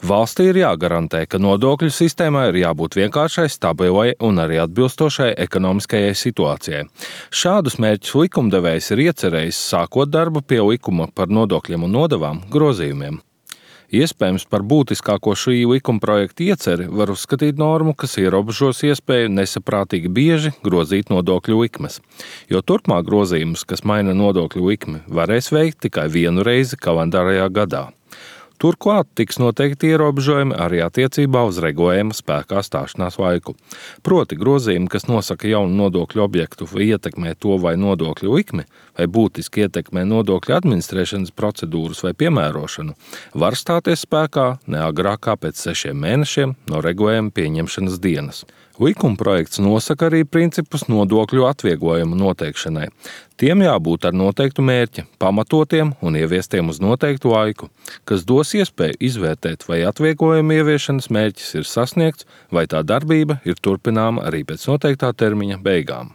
Valstī ir jāgarantē, ka nodokļu sistēmai ir jābūt vienkāršai, stabilai un arī atbilstošai ekonomiskajai situācijai. Šādus mērķus likumdevējs ir iecerējis, sākot darbu pie likuma par nodokļiem un nodevām grozījumiem. Iespējams, par būtiskāko šī likuma projekta ieceri var uzskatīt normu, kas ierobežos iespēju nesaprātīgi bieži grozīt nodokļu likmes, jo turpmāk grozījumus, kas maina nodokļu likmi, varēs veikt tikai vienu reizi kalendārajā gadā. Turklāt tiks noteikti ierobežojumi arī attiecībā uz regulējuma spēkā stāšanās laiku. Proti grozījumi, kas nosaka jaunu nodokļu objektu vai ietekmē to vai nodokļu likmi, vai būtiski ietekmē nodokļu administrēšanas procedūras vai piemērošanu, var stāties spēkā ne agrāk kā pēc 6 mēnešiem no regulējuma pieņemšanas dienas. Likumprojekts nosaka arī principus nodokļu atvieglojumu noteikšanai. Tiem jābūt ar noteiktu mērķi, pamatotiem un ieviestiem uz noteiktu laiku, kas dos iespēju izvērtēt, vai atvieglojuma ieviešanas mērķis ir sasniegts, vai tā darbība ir turpināma arī pēc noteiktā termiņa beigām.